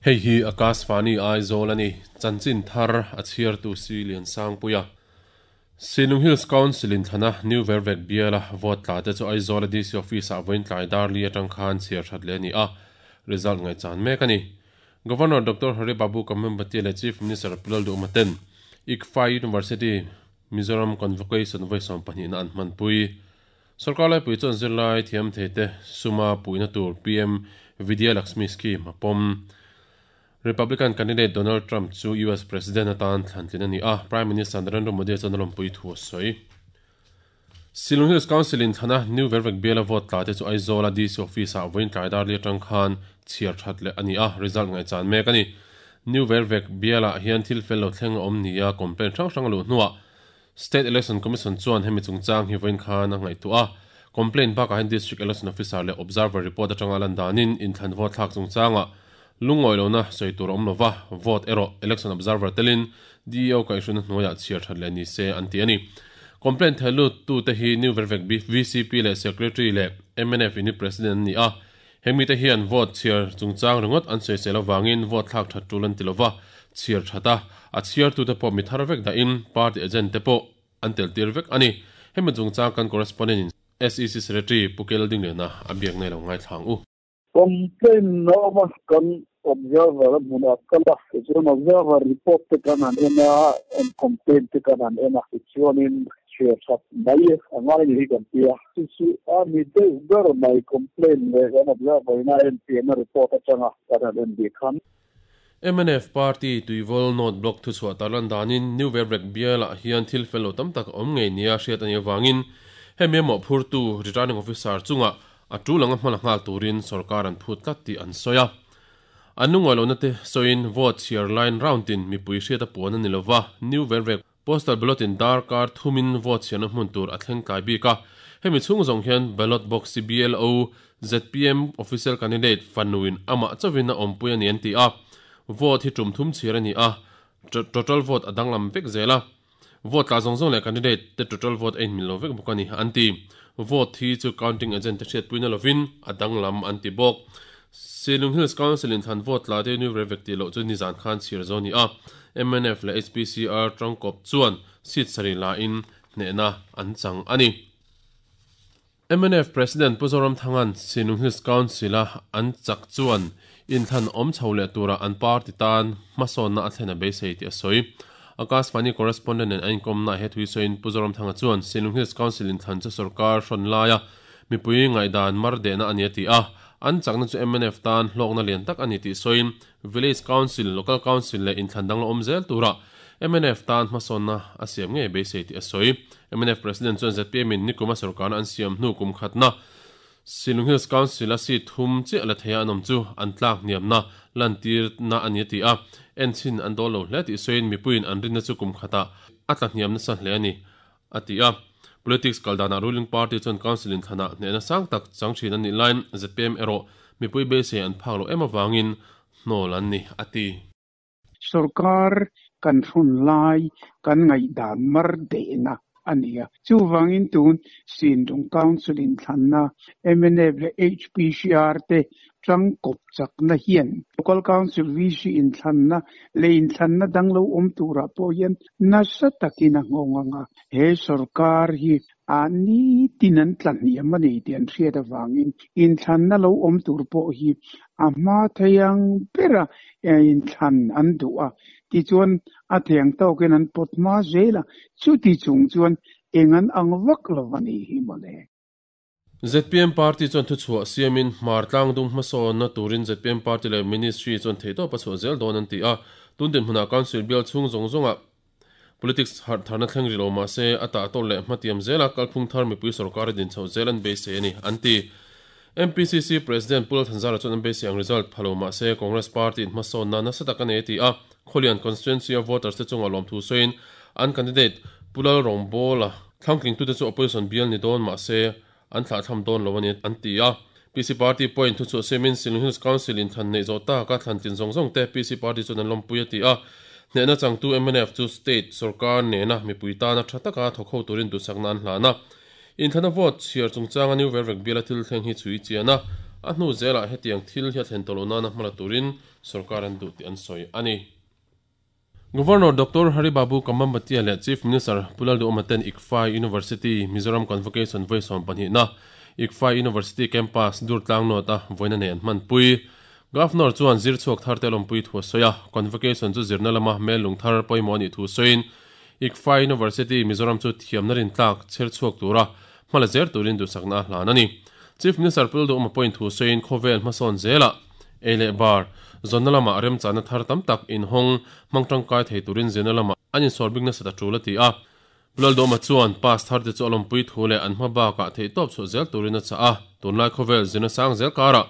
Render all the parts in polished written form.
Hei hi Akashvani Aizawl a ni. Chanchin thar a chhiartu si Liansangpuia. Silung Hills Council in thlana New Vervek biala vote tla te chu Aizawl a DC Office ah vawiin tlai dar li atang khan chhiar that leh a ni a, result ngaihchan mek a ni. Governor Doctor Hari Babu Kambhampati leh Chief Minister Pu Lalduhma ten ICFAI University Mizoram Convocation vawi 12 na an hmanpui. Sorkar laipui chuan zirlai thiam thei te suma puihna tur PM Vidya Lakshmi Scheme a pawm. Republican candidate Donald Trump chu US President atan thlantlin a ni a, Prime Minister Narendra Modi chuan a lawmpui thu a sawi. Shillong Hills Council in thlana New Vervek biala vote tla te chu Aizawl a DC Office ah vawiin tlai dar li atang khan chhiar that leh a ni a, result ngaihchan mek a ni. New Vervek bialah hian thil fel lo thleng a awm nia complaint hrang hrang a luh hnuah State Election Commission chuan hemi chungchang hi vawiin khan a ngaihtuah a, complaint bakah hian District Election Officer leh Observer report atanga lan danin inthlan vote thlak chungchangah lungawi lohna sawi tur a awm lova, vote erawh Election Observer telin DEO kaihhruina hnuaiah chhiar that leh ni se an ti a ni. Complaint theh lut tute hi New Vervek VCP leh Secretary leh mnf Unit President an ni a, heng mite hian vote chhiar chungchang ringawt an sawisel avangin vote thlak that tul an ti lova, chhiar that a, a chhiartute pawh mi thar vek dahin party agent te pawh an tel tir vek a ni. Hemi chungchang kan correspondent in SEC Secretary Pu Kel Dingliana a biak nei lo ngaithla ang u. Complaint na awm a, kan observer a hmunah kal a, tichuan observer report te kan han en a, complaint te kan han en a, tichuanin chhiar that mai a ngai ni hi kan ti a. Chu chu a ni deuh ber mai complaint leh kan observer in a enfiahna report atanga kan han en bik khan. Mnf party Tuivawl North Block thuchhuah tarlan danin New Vervek bialah hian thil fel lo tam tak a awm ngei nia hriat a nih avangin hemi a mawhphurtu Returning Officer chungah a tul anga hmala nghal turin sorkar an phut tlat tih an sawi a. An lungawi lohna te sawiin vote chhiar line round in mipui hriat a puan a ni lova, New Vervek Postal ballot in darkar thumin vote chhiarna hmun tur a thleng tlai bik a, hemi chhung zawng hian ballot box hi BLO, zpm official candidate fanuin amah chauhin a awmpui a ni an ti a, vote hi tum thum chhiar a ni a, total vote a danglam vek zel a, vote tla zawng zawng leh candidate te total vote a inmil lo vek bawk a ni an ti. Vote hi chu counting agent te hriatpuina lovin a danglam an ti bawk. Shillong Hills Council in thlan vote tla te New Revek tih loh chu nizan khan chhiar zo a ni a, mnf leh HPCR tangkawp chuan seat sarih la in hnehna an chang a ni. Mnf President Pu Zoramthanga'n Shillong Hills Council a an chak chuan inthlan awm chho leh tura an party tan hmasawnna a thlen a beisei tih a sawi. Akashvani correspondent nen an inkawmna ah he thui sawiin Pu Zoramthanga chuan Shillong Hills Council inthlan chu sorkar hrawn laia mipui ngaihdan mar dehna a ni a ti a, an chakna chu mnf tan hlawkna lian tak a ni tih sawiin Village Council, Local Council leh inthlan dang la awm zel tura mnf tan hmasawnna a siam ngei beisei tih a sawi. Mnf President chuan zpm in nikuma sorkarna an siam hnu kum khatna Shillong Hills Council a seat thum chiah la theia an awm chu an tlak hniamna lantirna a ni a ti a, enchhin an dawl lo hle tih sawiin mipuiin an rinna chu kum khatah a tla hniam nasa hle a ni a ti a. Politics kal danah ruling party chuan council inthlanah hnehna sang tak chang thin a nih laiin zpm erawh mipui beisei an phak loh em avangin hnawl an ni a ti. Sorkar kan hrun lai kan ngaihdan mar dehna a ni a. Chuvangin tun Sindung Council inthlanna mnf leh HPCR te tangkawp chakna hian Local Council VC inthlanna leh inthlanna dang lo awm turah pawh hian nasa takin a nghawng ang a. He sorkar hi a nitin an tla hniam a ni tih an hriat avangin inthlanna lo awm tur pawh hi a hma thei ang bera inthlan an duh a. Tichuan a thei ang tawkin an pawt hma zel a, chuti chung chuan eng an ang vak lo a nih hi mawle. Zpm party chuan thuchhuah siamin Hmar tlangdung hmasawnna turin zpm party leh ministry chuan theihtawp a chhuah zel dawn an ti a. Tun dinhmunah council bial chhung zawng zawngah politics harh tharna thleng rih lo mah se a tahtawlh leh hmatiam zela kalphung thar mipui sorkar a din chhoh zel an beisei a ni, an ti. MPCC President Pu Lalthanzara chuan an beisei ang result pha lo mah se Congress party in hmasawnna nasa tak a nei a ti a. Khawlian constituency a voters te chungah lawmthu sawiin an candidate Pu Lalrawngbawla Thlangtlingtute chu opposition bial ni dawn mah se an thlahthlam dawn lo a ni an ti a. PC Party pawhin thuchhuah siamin Shillong Hills Council in thlan neih zawh taka thlan tlin zawng zawng te PC Party chuan an lawmpui a ti a. Hnehna changtu mnf chu state sorkar nena mipui tana tha taka thawk ho turin duhsakna an hlan a. Inthlana vote chhiar chungchanga New Vervek biala thil thleng hi chhui chian a. A hnu zelah hetiang thil hi a thlen tawh loh nana hmala turin sorkar an duh tih an sawi a ni. Governor Doctor Hari Babu Kambhampati leh Chief Minister Pu Lalduhoma ten ICFAI University Mizoram Convocation vawi sawmpahnihna ICFAI University Campus Durtlang North-a vawiina nei an hmanpui. Governor chuan zir chhuak thar te lawmpui thu a sawi a, Convocation chu zirna lama hmel lung thar pawimawh a nih thu sawiin ICFAI University Mizoram chu thiamna rintlak chher chhuak tura hma la zer turin duhsakna a hlan a ni. Chief Minister Pu Lalduhoma pawhin thu sawiin khawvel hmasawn zelah ei leh bar zawnna lamah remchahna thar tam tak inhawng hmang tangkai thei turin zirna lamah an insawrbik nasat a tul a ti a. Pu Lalduhoma chuan pass tharte chu a lawmpui thu leh an hma bakah theihtawp chhuah zel turin a chah a, tunlai khawvel zirna sang zel karah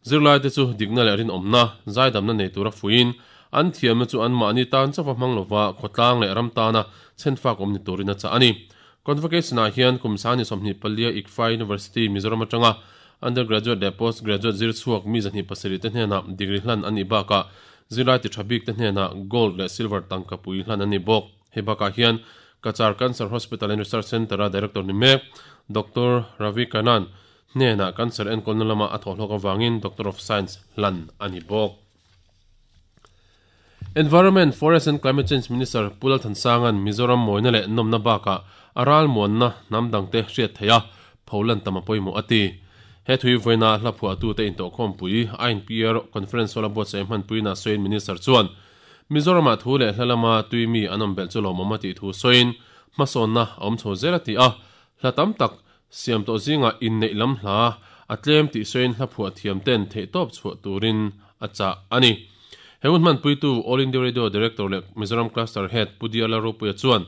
zirlaite chu dikna leh rinawmna, zaidamna nei tura fuiin an thiamna chu anmahni tan chauha hmang lova khawtlang leh ram tana chhenfak awm ni turin a chah a ni. Convocation-ah hian kum sangni 24 ICFAI University, Mizoram atanga undergraduate leh postgraduate zir chhuak mi 207 te hnenah degree hlan a nih bakah zirlai ti tha bik te hnenah gold leh silver tangka pui hlan a ni bawk. Hei bakah hian Cachar Cancer Hospital and Research Centre-a director ni mek Doctor Ravi Kannan hnenah cancer enkawlna lama a thawhhlawk avangin Doctor of Science hlan a ni bawk. Environment, Forest and Climate Change Minister Pu Lalthansanga'n Mizoram mawina leh nawmna bakah a ralmuanna hnam dangte hriat theih a, pholan tam a pawimawh a ti. He thui vawiina hla phuahtute intawhkhawmpui INPR Conference Hall a buatsaih hmanpuina sawiin Minister chuan Mizoramah thu leh hla lama tui mi an awm belh chu lawmawm a tih thu sawiin hmasawnna a awm chho zel a ti a, hla tam tak siam tawh zingah inneih lam hla a tlem tih sawiin hla phuah thiam ten theihtawp chhuah turin a chah a ni. He hun hmanpuitu All India Radio Director leh Mizoram Cluster Head Pu Diar Lalropuia chuan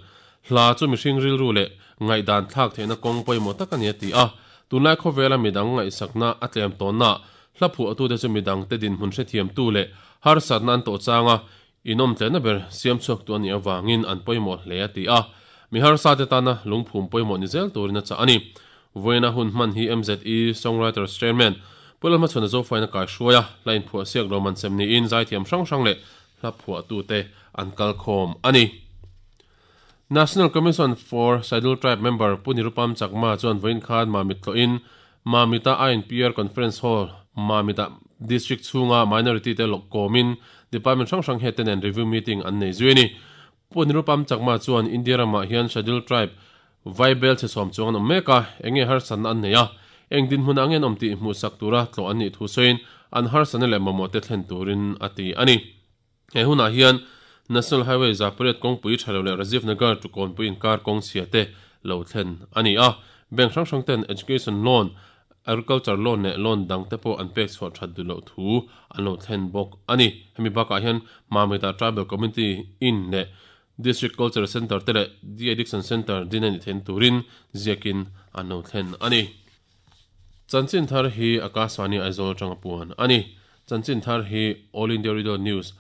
hla chu mihring rilru leh ngaihdan thlak theihna kawng pawimawh tak a ni a ti a, tunlai khawvela midang ngaihsakna a tlem tawnnaah hla phuahtute chu midangte dinhmun hrethiamtu leh harsatna an tawh changa Inawmtlenna ber siam chhuaktu a nih avangin an pawimawh hle a ti a, mi harsate tana lungphum pawimawh ni zel turin a chah a ni. Vawiina hun hman hi MZE Songwriters Chairman Pu Lalhmachhuana Zofaina kaihruai a, hla inphuah siak lo man sem niin zaithiam hrang hrang leh hla phuahtute an kal khawm a ni. National Commission for Scheduled Tribe member Pu Nirupam Chakma chuan vawiin khan Mamit tlawhin Mamit-a INPR Conference Hall, Mamit-ah District chhunga minority te kawmin Department hrang hrang head te nen review meeting an nei zui a ni. Pu Nirupam Chakma chuan India ramah hian Scheduled Tribe Vaibel chhe sawm chuang an awm mek a, eng nge harsatna an nei a, eng dinhmun ah nge an awm tih hmuhsak tura tlawh an nih thu sawiin an harsatna leh mamawh te thlen turin a ti a ni. He hunah hian National Highway Zapariat kawngpui tha lo leh Rajiv Nagar to Kawnpui inkar kawng chhia te lo thlen a ni a. Bank hrang hrang ten Education Loan, Agriculture Loan leh Loan dang te pawh an pek chhuah that duh loh thu an lo thlen bawk a ni. Hemi bakah hian Mamita Tribal Community In leh District Cultural Centre te leh De-Addiction Centre din a nih theihna turin ziakin an lo thlen a ni. Chanchin thar hi Akashvani Aizawl atanga puan a ni. Chanchin thar hi All India Radio News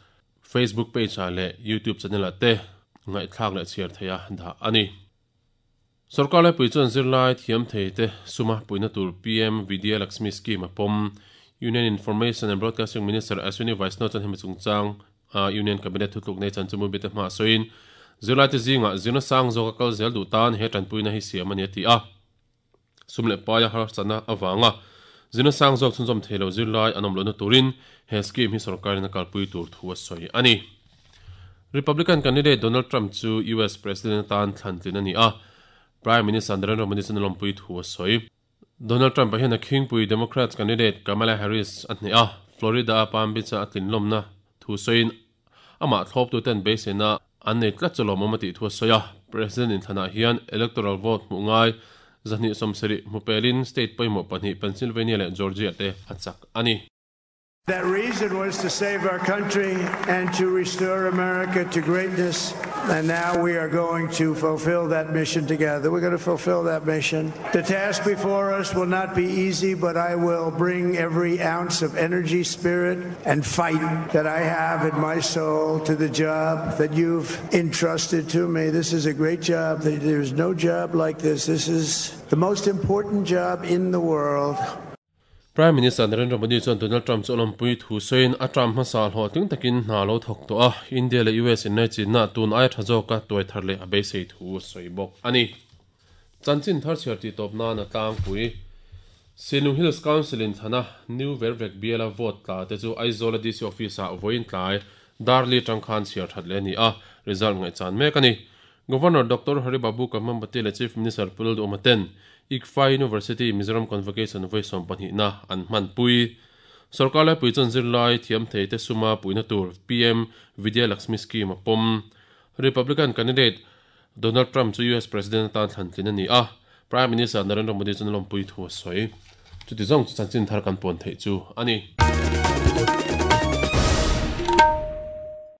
Facebook page ah leh YouTube channel ah te ngaihthlak leh chhiar theih a dah a ni. Sorkar laipui chuan zirlai thiam thei te suma puihna tur PM Vidya Lakshmi Scheme a pawm. Union Information and Broadcasting Minister Ashwini Vaishnaw chuan hemi chungchang a Union Cabinet thutluk nei chan chu mubite hma sawiin zirlai te zingah zirna sang zawka kal zel duh tan he tanpuina hi siam a ni a ti a. Sum leh paia harsatna avanga zirna sang zawk chhunzawm thei lo zirlai an awm lohna turin he scheme hi sorkarin a kalpui tur thu a sawi a ni. Republican candidate Donald Trump chu US President atan thlan tlin a ni a, Prime Minister Narendra Modi chuan a lawmpui thu a sawi. Donald Trump-a hian a khingpui Democrats candidate Kamala Harris a hneh a, Florida-a Palm Beach-a a tlinlawmna thu sawiin Amah thlawptuten beiseina an nei tlat chu lawmawm a tih thu a sawi a, President inthlanah hian electoral vote hmuh ngai 270 hmu pelin state pawimawh pahnih Pennsylvania leh Georgia te a chak a ni. That reason was to save our country and to restore America to greatness and now we are going to fulfill that mission together. We're going to fulfill that mission. The task before us will not be easy, but I will bring every ounce of energy, spirit, and fight that I have in my soul to the job that you've entrusted to me. This is a great job. There's no job like this. This is the most important job in the world. Prime Minister Narendra Modi chuan Donald Trump chu a lawmpui thu sawiin a term hmasa hlawhtling takin hna lo thawk tawh a, India leh US inlaichinna tun aia tha zawka tuai thar leh a beisei thu a sawi bawk a ni. Chanchin thar chhiar tih tawp nan a tlangpui. Sinlung Hills Council in thlana New Vervek biala vote tla te chu Aizawl a DC Office ah vawiin tlai Darli atang khan chhiar that leh a ni a, result ngaihchan mek a ni. Governor Doctor Hari Babu Kambhampati leh Chief Minister Pu Lalduhoma ten ICFAI University Mizoram Convocation vawi sawmpahnihna an hmanpui. Sorkar laipui chuan zirlai thiam thei te suma puihna tur PM Vidya Lakshmi Scheme a pawm. Republican candidate Donald Trump chu US President atan thlan tlin a ni a, Prime Minister Narendra Modi chuan a lawmpui thu a sawi. Chuti zawng chu chanchin thar kan puan theih chu a ni.